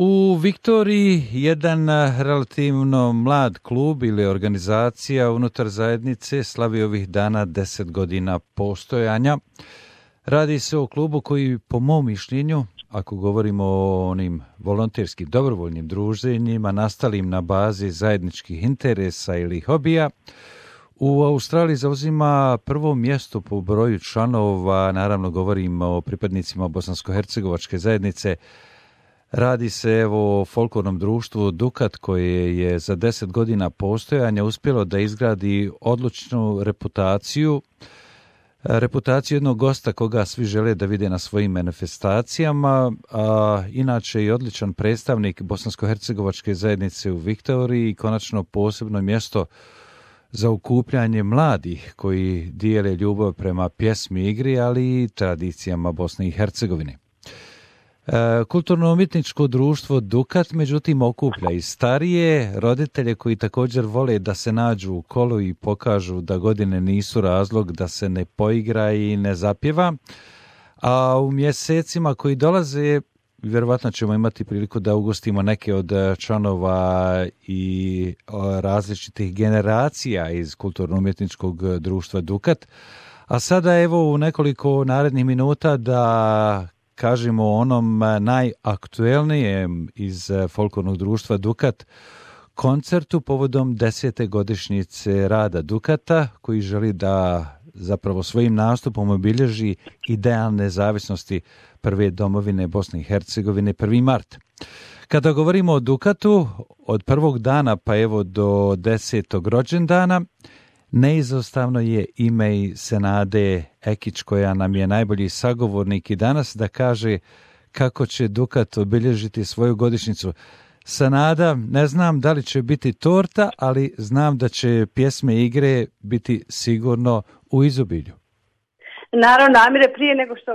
U Viktoriji jedan relativno mlad klub ili organizacija unutar zajednice slavi ovih dana 10 godina postojanja. Radi se o klubu koji, po mom mišljenju, ako govorimo o onim volonterskim dobrovoljnim druženjima nastalim na bazi zajedničkih interesa ili hobija, u Australiji zauzima prvo mjesto po broju članova, naravno govorimo o pripadnicima bosansko-hercegovačke zajednice. Radi se o folklornom društvu Dukat koje je za 10 godina postojanja uspjelo da izgradi odličnu reputaciju jednog gosta koga svi žele da vide na svojim manifestacijama, a inače i odličan predstavnik bosansko-hercegovačke zajednice u Viktoriji i konačno posebno mjesto za okupljanje mladih koji dijele ljubav prema pjesmi i igri, ali i tradicijama Bosne i Hercegovine. Kulturno-umjetničko društvo Dukat, međutim, okuplja i starije roditelje koji također vole da se nađu u kolu i pokažu da godine nisu razlog da se ne poigra i ne zapjeva. A u mjesecima koji dolaze, vjerovatno ćemo imati priliku da ugostimo neke od članova i različitih generacija iz kulturno-umjetničkog društva Dukat. A sada evo u nekoliko narednih minuta da kažemo o onom najaktuelnijem iz folklornog društva Dukat, koncertu povodom 10. godišnjice rada Dukata, koji želi da zapravo svojim nastupom obilježi ideal nezavisnosti prve domovine Bosne i Hercegovine, 1. mart. Kada govorimo o Dukatu, od prvog dana pa evo do 10. rođendana, neizostavno je ime i Senade Ekić, koja nam je najbolji sagovornik i danas da kaže kako će Dukat obilježiti svoju godišnjicu. Senada, ne znam da li će biti torta, ali znam da će pjesme i igre biti sigurno u izobilju. Naravno, Amire, prije nego što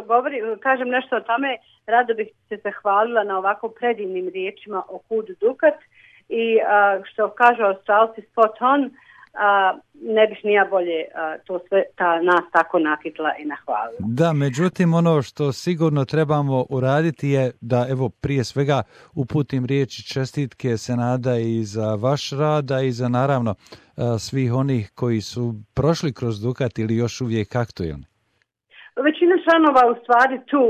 kažem nešto o tome, rado bih se zahvalila na ovako predivnim riječima o kudu Dukat i što kažu Australci spot on, ne bih nija bolje to sve nas tako nakitla i nahvalila. Da, međutim ono što sigurno trebamo uraditi je da evo prije svega uputim riječi čestitke Senada i za vaš rad, a i za naravno svih onih koji su prošli kroz Dukat ili još uvijek aktuelni. Većina članova u stvari tu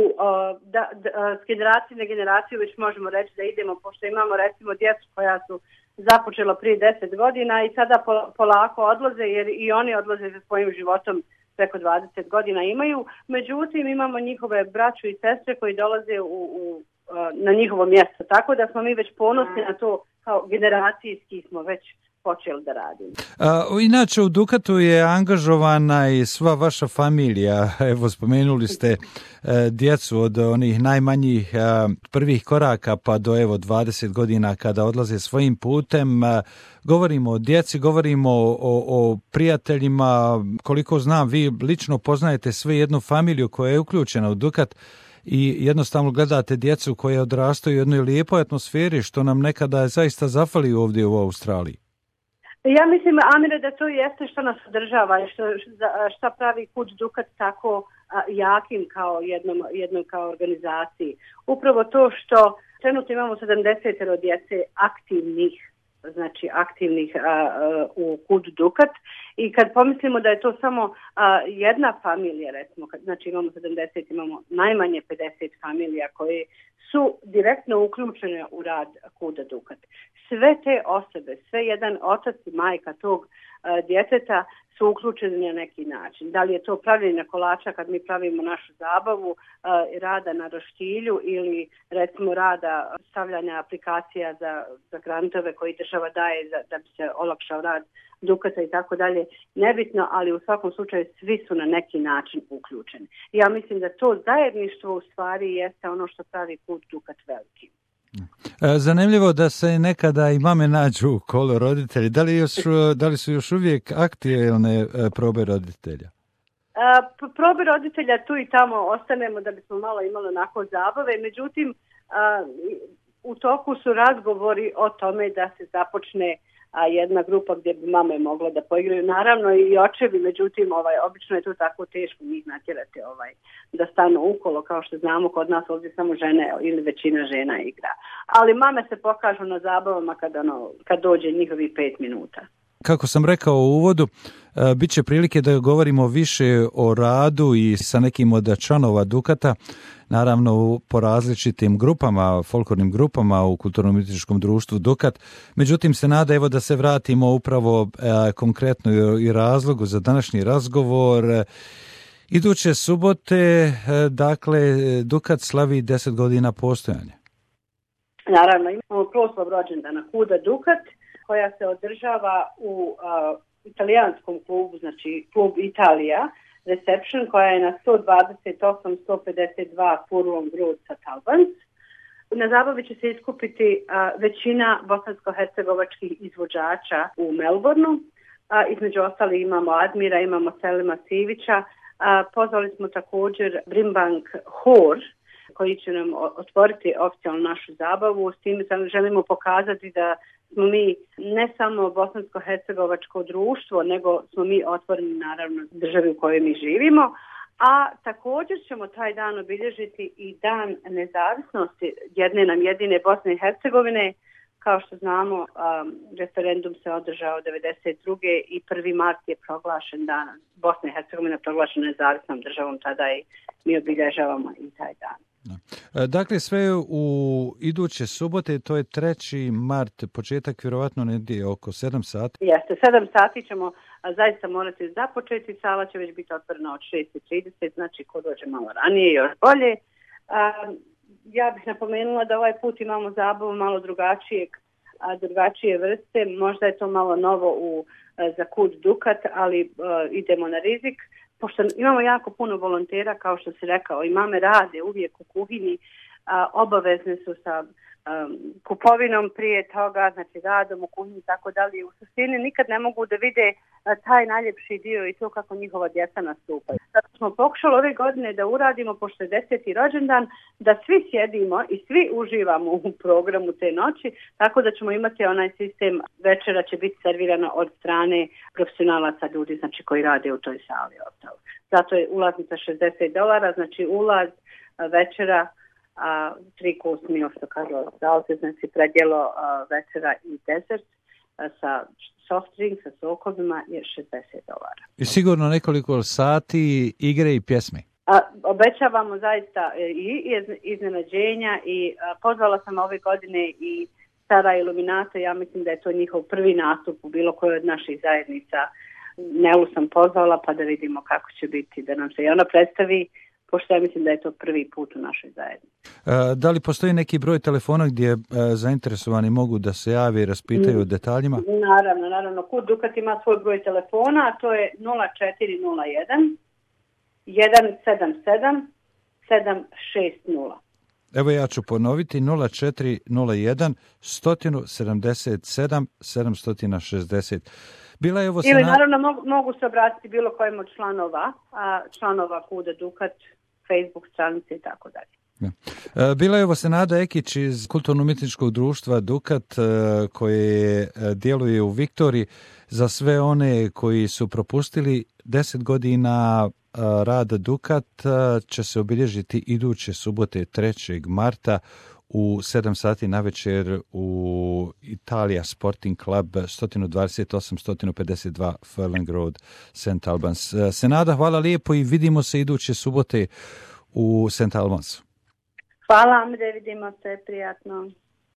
s generacije na generaciju već možemo reći da idemo, pošto imamo recimo djecu koja su započelo prije 10 godina i sada polako odlaze jer i oni odlaze za svojim životom preko 20 godina imaju. Međutim, imamo njihove braću i sestre koji dolaze na njihovo mjesto. Tako da smo mi već ponosni na to, kao generacijski smo već počeli da radimo. Inače, u Dukatu je angažovana i sva vaša familija. Evo, spomenuli ste djecu od onih najmanjih prvih koraka pa do evo 20 godina kada odlaze svojim putem. Govorimo o djeci, govorimo o prijateljima. Koliko znam, vi lično poznajete sve jednu familiju koja je uključena u Dukat i jednostavno gledate djecu koje odrastaju u jednoj lijepoj atmosferi, što nam nekada zaista zafali ovdje u Australiji. Ja mislim, Amire, da to jeste što nas održava i što pravi Kud Dukat tako jakim kao jednom kao organizaciji. Upravo to što trenutno imamo 70 djece aktivnih u Kud Dukat i kad pomislimo da je to samo jedna familija, recimo, znači imamo 70, imamo najmanje 50 familija koje su direktno uključene u rad Kuda Dukat. Sve te osobe, sve jedan otac i majka tog djeteta su uključeni na neki način. Da li je to pravljenje kolača kad mi pravimo našu zabavu, rada na roštilju ili recimo rada stavljanja aplikacija za grantove koji država daje da bi se olakšao rad Dukata i tako dalje, nebitno, ali u svakom slučaju svi su na neki način uključeni. Ja mislim da to zajedništvo u stvari jeste ono što pravi Kud Dukat veliki. Zanimljivo da se nekada i mame nađu u kolu roditelji. Da li su još uvijek aktuelne probe roditelja? Probe roditelja tu i tamo ostanemo da bismo malo imali onako zabave, međutim u toku su razgovori o tome da se započne jedna grupa gdje bi mame mogle da poigraju. Naravno i očevi, međutim, obično je to tako teško njih natjerati da stanu ukolo, kao što znamo kod nas ovdje samo žene ili većina žena igra. Ali mame se pokažu na zabavama kad dođe njihovih 5 minuta. Kako sam rekao u uvodu, bit će prilike da govorimo više o radu i sa nekim od članova Dukata, naravno po različitim grupama, folklornim grupama u kulturno-umjetničkom društvu Dukat. Međutim, se nada evo da se vratimo upravo konkretno i razlogu za današnji razgovor. Iduće subote, dakle, Dukat slavi 10 godina postojanja. Naravno, imamo proslav rođendana Kuda Dukat, koja se održava u italijanskom klubu, znači klub Italija, Reception, koja je na 128-152 Furlong Road St. Albans. Na zabavi će se iskupiti većina bosansko-hercegovačkih izvođača u Melbourneu. Između ostalih imamo Admira, imamo Selima Sivića. Pozvali smo također Brimbank Hor, koji će nam otvoriti oficijalno našu zabavu. S tim želimo pokazati da smo mi ne samo bosansko-hercegovačko društvo, nego smo mi otvoreni naravno državi u kojoj mi živimo. A također ćemo taj dan obilježiti i dan nezavisnosti jedine Bosne i Hercegovine. Kao što znamo, referendum se održao 1992. i 1. mart je proglašen dan. Bosna i Hercegovina proglašena nezavisnom državom, tada i mi obilježavamo i taj dan. Dakle, sve u iduće subote, to je 3. mart, početak vjerovatno negdje oko 7 sati. Jeste, 7 sati ćemo zaista morati započeti, sala će već biti otvorena od 6:30, znači ko dođe malo ranije još bolje. Ja bih napomenula da ovaj put imamo zabavu malo drugačije vrste, možda je to malo novo za Kud Dukat, ali idemo na rizik. Pošto imamo jako puno volontera, kao što si rekao, i mame rade uvijek u kuhinji, obavezne su sa kupovinom prije toga, znači radom u kuhinji i tako dalje. U suštini nikad ne mogu da vide taj najljepši dio i to kako njihova djeca nastupaju. Zato smo pokušali ove godine da uradimo, pošto je 10. rođendan, da svi sjedimo i svi uživamo u programu te noći, tako da ćemo imati onaj sistem, večera će biti servirana od strane profesionalaca ljudi, znači koji rade u toj sali. Zato je ulaznica $60, znači ulaz, večera, 3 course meal, što kažu ostavite, znači predjelo, večera i desert sa soft drink, sa sokovima je $60. I sigurno nekoliko sati igre i pjesme. Obećavamo zaista i iznenađenja i pozvala sam ove godine i Stara Iluminata, ja mislim da je to njihov prvi nastup u bilo kojoj od naših zajednica. Nelu sam pozvala pa da vidimo kako će biti, da nam se i ona predstavi, pošto ja mislim da je to prvi put u našoj zajednici. Da li postoji neki broj telefona gdje zainteresovani mogu da se jave i raspitaju o detaljima? Naravno. Kud Dukat ima svoj broj telefona, a to je 0401 177 760. Evo ja ću ponoviti 0401 177 760. Ili naravno mogu se obratiti bilo kojem od članova Kuda Dukat, Facebook stranice i tako dalje. Bila je ovo Senada Ekić iz kulturno-umjetničkog društva Dukat koje djeluje u Viktoriji. Za sve one koji su propustili 10 godina rada Dukat će se obilježiti iduće subote 3. marta u 7 sati navečer u Italija Sporting Club 128-152 Furlong Road St. Albans. Senada, hvala lijepo i vidimo se iduće subote u St. Albansu. Hvala, Amre, vidimo se, prijatno.